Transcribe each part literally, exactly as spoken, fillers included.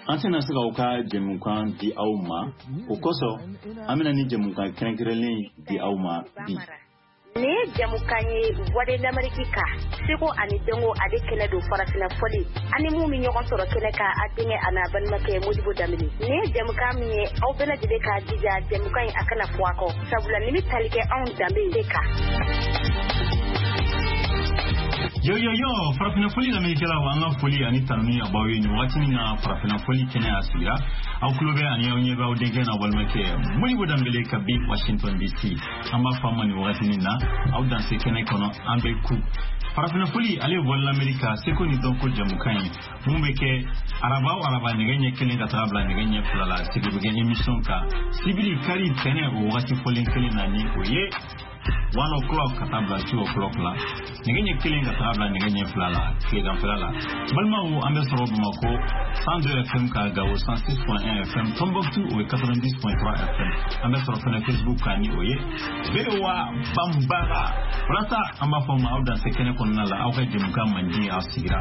An tɛna se k'aw ka jɛmukan di aw ma, o kosɔn an bɛna ni jɛmukan kɛrɛnkɛrɛnlen di aw ma bi. Nin ye jɛmukan ye Voix de l'Amérique kan, seko ani dɔnko ale kɛnɛ don, farafinna fɔli ani mun bɛ ɲɔgɔn sɔrɔ kɛnɛ kan, a denkɛ a n'a balimakɛ Modibo Danbele. Nin ye jɛmukan min ye, aw bɛɛ lajɛlen k'a jija jɛmukan in a kana fɔ a kɔ, sabula nin bɛ tali kɛ anw danbe de kan. Yo yo yo, farafinna fɔli lamɛnnikɛlaw, an ka foli ani tanuni a b'aw ye nin wagati min na farafinna fɔli kɛnɛ a sigira. Aw tulo bɛ ani aw ɲɛ bɛ aw denkɛ n'aw balimakɛ Modibo Danbele kabi Washington D C. An b'a fɔ a ma nin wagati min na, aw danse kɛnɛ kɔnɔ, an bɛ ku. Farafinna fɔli, ale ye Voix de l'Amérique seko ni dɔnko jɛmukan ye mun bɛ kɛ araba o araba nɛgɛ ɲɛ kelen ka taga bila nɛgɛ ɲɛ fila la. Sigi bɛ kɛ émission kan sibiri, kari, tɛnɛ, o wagati fɔlen kelen na, ni o ye one o'clock ka taa bila two o'clock la, nɛgɛ ɲɛ kelen ka taga bila nɛgɛ ɲɛ fila la tileganfɛla la. Balimaw, an bɛ sɔrɔ Bamakɔ cent deux F M ka, Gawo cent six point un F M, Tombouctou o ye quatre-vingt-dix point trois F M. An bɛ sɔrɔ fɛnɛ Facebook kan, ni o ye V O A Banbara. Walasa an b'a fɔ ma, aw danse kɛnɛ kɔnɔna la, aw ka jɛmukan mandi aw sigira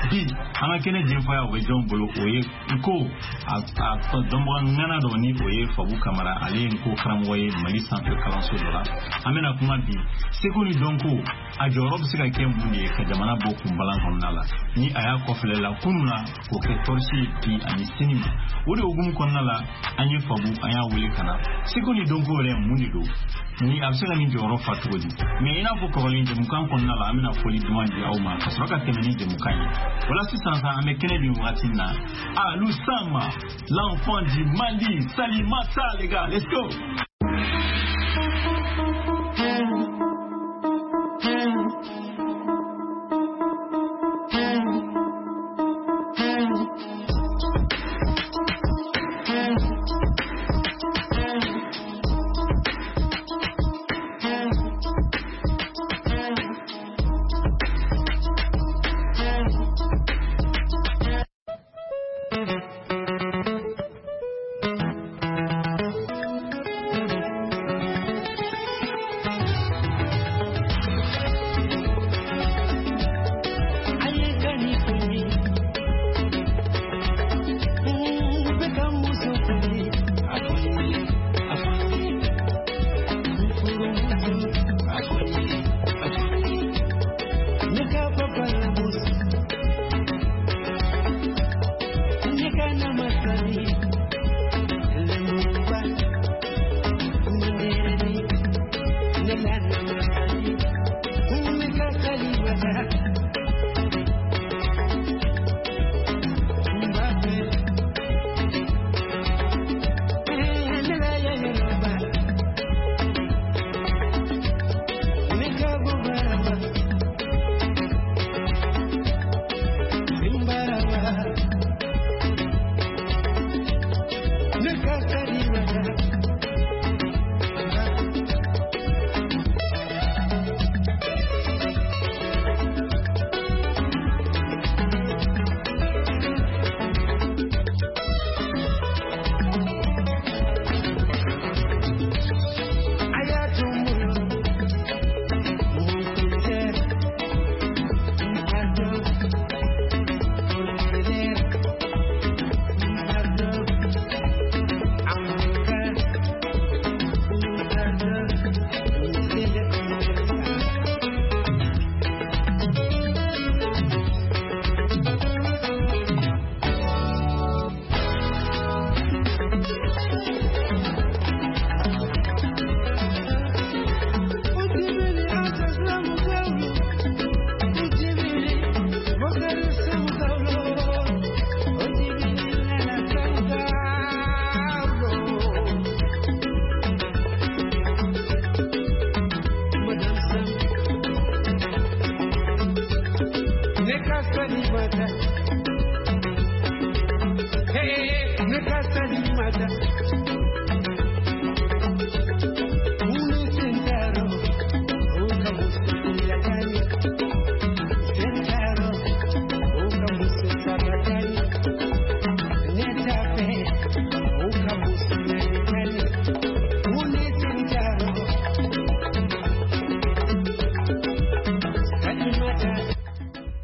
bi. An ka kɛnɛ jenfaya, o bɛ jɔn bolo? O ye nko a a dɔnbaga ŋana dɔ, ni o ye Fabu Kamara, ale ye nko karamɔgɔ ye Mali sanfɛ kalanso dɔ la. An bɛna kuma bi seko ni dɔnko, a jɔyɔrɔ bɛ se ka kɛ mun de ye ka jamana bɔ kunbalan kɔnɔna la, ni a y'a kɔfilɛ la kunun na k'o kɛ tɔrisi ye bi ani sini ma. O de hukumu kɔnɔna la, an ye Fabu, an y'a wele ka na. Seko ni dɔnko yɛrɛ, mun de don, ni a bɛ se ka nin jɔyɔrɔ fa cogo di? Mɛ i n'a fɔ kɔrɔlen, jɛmukan kɔnɔna la, an bɛna foli duman di aw ma ka sɔrɔ ka tɛmɛ ni jɛmukan ye. O la sisan sa, an bɛ kɛnɛ bin wagati min na, Alou Sama, l'enfant du Mali, Salimata, les gars, let's go.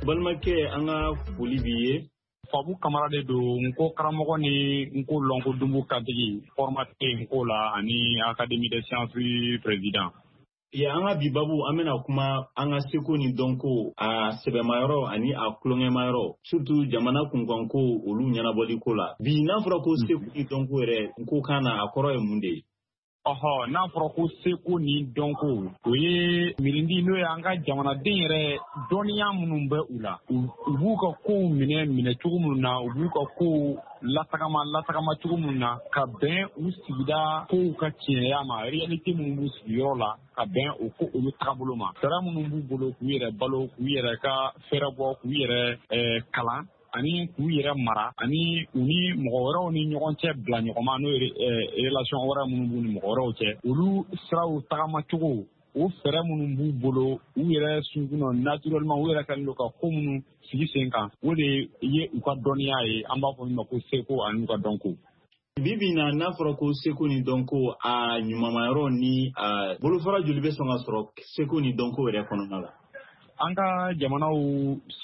Balimakɛ, an ka foli b'i ye. Fabu Kamara de don, n ko karamɔgɔ ni n ko lɔnko dunbu kantigi, formateur n ko la ani Académie des sciences président. Ya, an ka bi babu, an bɛna kuma an ka seko ni dɔnko, a sɛbɛmayɔrɔ ani a tulonkɛmayɔrɔ, surtout jamana kunkanko, olu ɲɛnabɔli ko la. Bi, n'a fɔra ko seko ni dɔnko yɛrɛ, n ko kan na, a kɔrɔ ye mun de ye? Ɔhɔ, n'a fɔra ko seko ni dɔnko, o ye mirindi, n'o ye an ka jamanaden yɛrɛ dɔnniya minnu bɛ u la, u b'u ka kow minɛ minɛ cogo minnu na, u b'u ka kow latagama latagama cogo minnu na, ka bɛn u sigida kow ka tiɲɛya ma, réalité minnu b'u sigiyɔrɔ la, ka bɛn o ko olu tagabolo ma, fɛɛrɛ minnu b'u bolo k'u yɛrɛ balo, k'u yɛrɛ ka fɛɛrɛ bɔ, k'u yɛrɛ kalan ani k'u yɛrɛ mara, ani u ni mɔgɔ wɛrɛw ni ɲɔgɔn cɛ bila ɲɔgɔn ma, n'o ye relation wɛrɛ minnu b'u ni mɔgɔ wɛrɛw cɛ, olu siraw tagamacogo, o fɛɛrɛ minnu b'u bolo u yɛrɛ sunkun na naturellement, u yɛrɛ kɛlen don ka ko minnu sigi sen kan, o de ye u ka dɔnniya ye, an b'a fɔ min ma ko seko ani u ka dɔnko. Bi bi na, n'a fɔra ko seko ni dɔnko, a ɲumanmayɔrɔ ni a bolofara joli bɛ sɔn ka sɔrɔ seko ni dɔnko yɛrɛ kɔnɔna la? An ka jamanaw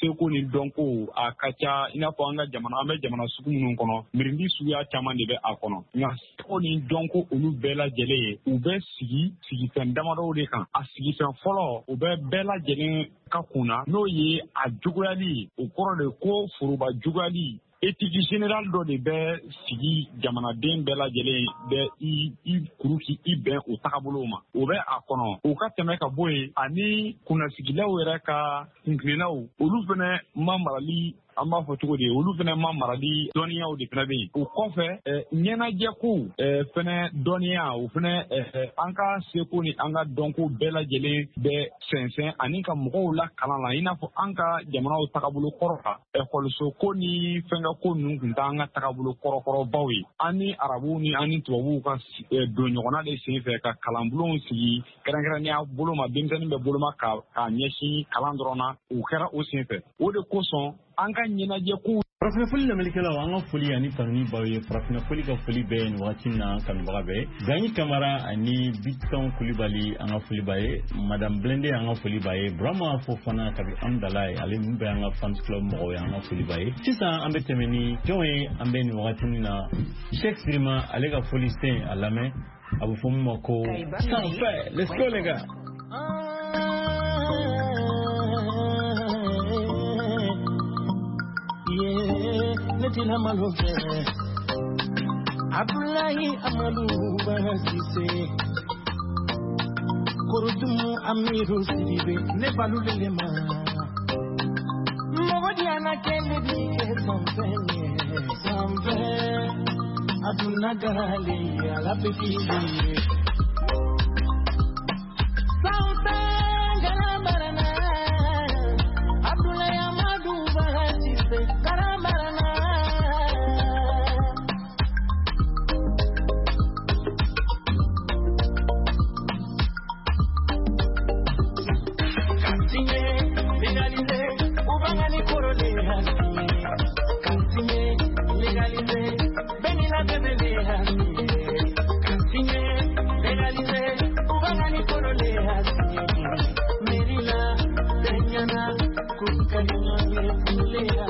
seko ni dɔnko a ka ca. I n'a fɔ an ka jamana, an bɛ jamana sugu minnu kɔnɔ, mirindi suguya caman de bɛ a kɔnɔ. Nka seko ni dɔnko, olu bɛɛ lajɛlen ye, u bɛ sigi sigifɛn damadɔw de kan. A sigifɛn fɔlɔ, u bɛ bɛɛ lajɛlen ka kun na, n'o ye a juguyali. O kɔrɔ de ko foroba juguyali, éthique générale dɔ de bɛ sigi jamanaden bɛɛ lajɛlen bɛ i i kuru k'i bɛn o tagabolo ma, o bɛ a kɔnɔ. O ka tɛmɛ ka bɔ yen, ani kunnasigilaw yɛrɛ ka kunkilennaw, olu fɛnɛ ma marali, an b'a fɔ cogo di, olu fɛnɛ ma marali dɔnniyaw de fɛnɛ bɛ yen. O kɔfɛ, ɲɛnajɛkow fɛnɛ dɔnniya, o fɛnɛ an ka seko ni an ka dɔnko bɛɛ lajɛlen bɛ sɛnsɛn ani ka mɔgɔw la kalan la. I n'a fɔ an ka jamanaw tagabolo kɔrɔ la, ekɔliso ko ni fɛnkɛ ko ninnu tun t'an ka tagabolo kɔrɔkɔrɔbaw ye. An ni arabuw ni an ni tubabuw ka don ɲɔgɔnna de sen fɛ ka kalanbulonw sigi kɛrɛnkɛrɛnnenya bolo ma, denmisɛnnin bɛ boloma ka k'a ɲɛsin kalan dɔrɔn na, o kɛra o sen fɛ. O de kosɔn an ka ɲɛnajɛ kow. Farafinna foli lamɛnnikɛlaw, an ka foli ani tanuni b'aw ye. Farafinna foli ka foli bɛ nin wagati na kanubaga bɛɛ. Ganyi Kamara ani Biton Kulibali, an ka foli b'a ye. Madame Blende, an ka foli b'a ye. Burama Fofana kabi Amdala ye, ale min bɛ an ka fans club mɔgɔw ye, an ka foli b'a ye. Sisan an bɛ tɛmɛ ni jɔn ye? An bɛ nin wagati min na, Cheikh Sirima, ale ka foli sen a lamɛn, a bɛ fɔ min ma ko Sanfɛ. Let's go les gars. Ne tina malo fɛ, Abdoulaye Amadou Basise, Korodumu Amiru Sidibe, ne balulele ma mɔgɔ diyana kɛlɛ bi kɛ sanfɛ sanfɛ, aduna gale ala bɛ k'i ye sanfɛ galabarana. Abdoulaye Amadou Basise galabarana. Légalisé, Benila bébé Kantinye, légalisé, Ubangani korole hasi, Merina, Benyana, Kuskanyana, Fulea,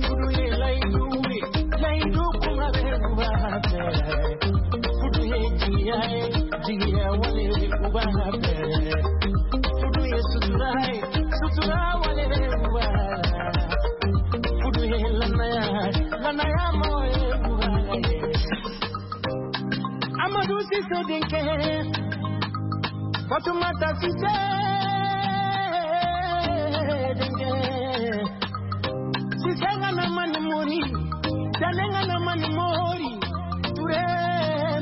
Fuduye laiduwe, laidu kumabe ubabe, Fuduye jiyae, jiya wale ubabe, Fuduye suturae, sutura wale ubabe, Fuduye lanaya, lanaya moye ubabe. Amadou Cissé denkɛ, Fatoumata Cissé denkɛ, Cissé ŋana mani mori, Jale ŋana mani mori, Touré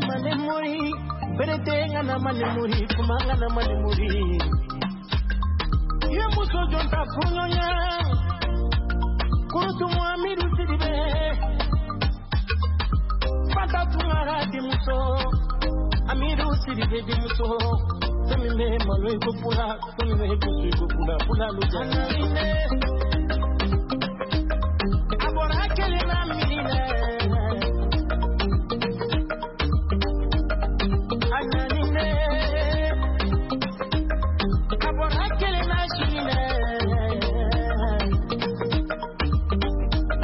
mani mori, Berete ŋana mani mori, Kuma ŋana mani mori. Ye muso jɔn ta furuɲɔgɔnya, Kurutumu Amidu Sidibe, Fanta Tunkara denmuso, Amidu Sidibe denmuso, fɛn min bɛ malo i ko fula, fɛn min bɛ gosi i ko fula, fula lu jara.